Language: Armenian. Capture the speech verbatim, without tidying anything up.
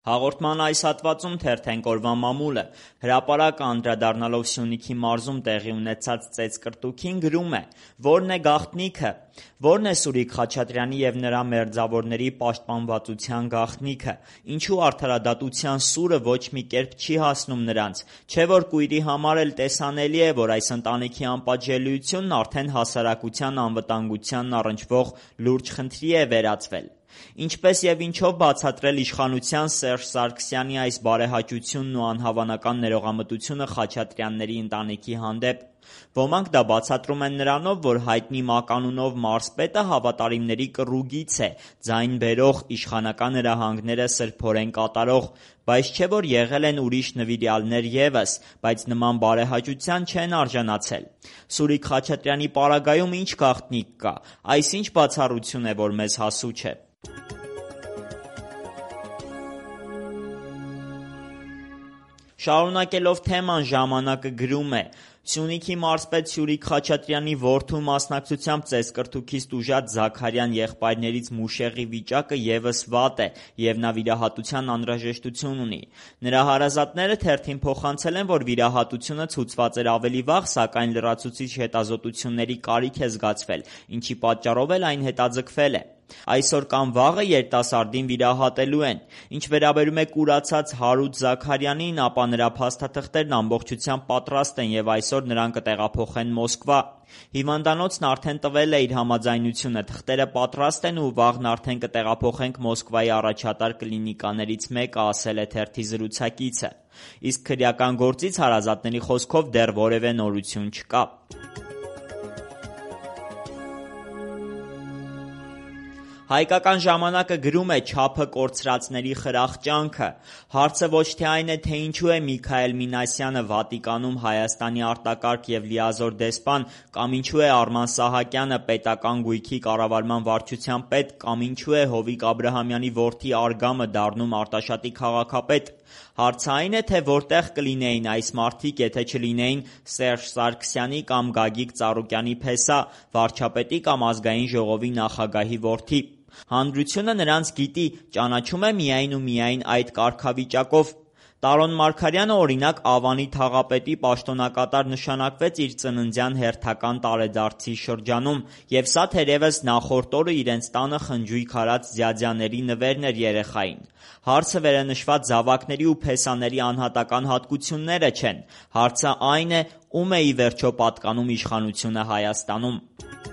Հաղորդման այս հատվածում թերթենք օրվա մամուլը։ Հրապարակը անդրադառնալով Սյունիքի մարզում տեղի ունեցած ծեծկռտուքին գրում է. «Որն է գաղտնիքը։ Որն է Սուրիկ Խաչատրյանի և նրա մերձավորների պաշտպանվածության գաղտնիքը։ Ինչու արդարադատության սուրը ոչ մի կերպ չի հասնում նրանց։ Չէ՞ որ կույրի համար էլ տեսանելի է, որ այս ընտանիքի անպատժելիությունն արդեն հասարակության անվտանգությանն առնչվող լուրջ խնդրի է վերածվել։ Ինչպես և ինչով բացատրել իշխանության Սերժ Սարգսյանի այս բարեհաճությունն ու անհավանական ներողամտությունը Խաչատրյանների ընտանիքի հանդեպ։ Ոմանք դա բացատրում են նրանով, որ հայտնի մականունով մարզպետը հավատարիմների կռուգից է, ձայն բերող, իշխանական հրահանգները սրբորեն կատարող, բայց չէ՞ որ եղել են ուրիշ նվիրյալներ ևս, բայց նման բարեհաճության չեն արժանացել։ Սուրիկ Խաչատրյանի պարագայում ինչ գաղտնիք կա։ Այս ինչ բացառություն է, որ մեզ հասու չէ։ Շարունակելով թեման ժամանակը գրում է. «Սյունիքի մարզպետ Սուրիկ Խաչատրյանի որդու մասնակցությամբ ծեծկռտուքից տուժած Զաքարյան եղբայրներից Մուշեղի վիճակը ևս վատ է և նա վիրահատության անհրաժեշտություն ունի։ Նրա հարազատները թերթին փոխանցել են, որ վիրահատությունը ցուցված էր ավելի վաղ, սակայն լրացուցիչ հետազոտությունների կարիք է զգացվել, ինչի պատճառով էլ այն հետաձգվել է։ Այսօր կամ վաղը երիտասարդին վիրահատելու են։ Ինչ վերաբերում է կուրացած Հարութ Զաքարյանին, ապա նրա փաստաթղթերն ամբողջությամբ պատրաստ են և այսօր նրան կտեղափոխեն Մոսկվա։ Հիվանդանոցն արդեն տվել է իր համաձայնությունը, թղթերը պատրաստ են ու վաղն արդեն կտեղափոխենք Մոսկվայի առաջատար կլինիկաներից մեկը», ասել է թերթի զրուցակիցը։ Իսկ քրեական գործից հարազատների խոսքով դեռ որևէ նորություն չկա։ Հայկական ժամանակը գրում է. «Չափը կորցրածների խրախճանքը»։ Հարցը ոչ թե այն է, թե ինչու է Միքայել Մինասյանը Վատիկանում Հայաստանի արտակարգ և լիազոր դեսպան, կամ ինչու է Արման Սահակյանը պետական գույքի կառավարման վարչության պետ, կամ ինչու է Հովիկ Աբրահամյանի որդի Արգամը դառնում Արտաշատի քաղաքապետ։ Հարցը այն է, թե որտեղ կլինեին այս մարդիկ, եթե չլինեին Սերժ Սարգսյանի կամ Գագիկ Ծառուկյանի փեսա, վարչապետի կամ Ազգային ժողովի նախագահի որդի։ Հանրությունը նրանց գիտի, ճանաչում է միայն ու միայն այդ կարգավիճակով։ Տարոն Մարգարյանը, օրինակ, Ավանի թաղապետի պաշտոնակատար նշանակվեց իր ծննդյան հերթական տարեդարձի շրջանում, և սա թերևս նախորդ օրը իրենց տանը խնջույք արած ձյաձյաների նվերն էր երեխային։ Հարցը վերենշված զավակների ու փեսաների անհատական հատկությունները չեն։ Հարցը այն է, ում է ի վերջո պատկանում իշխանությունը Հայաստանում։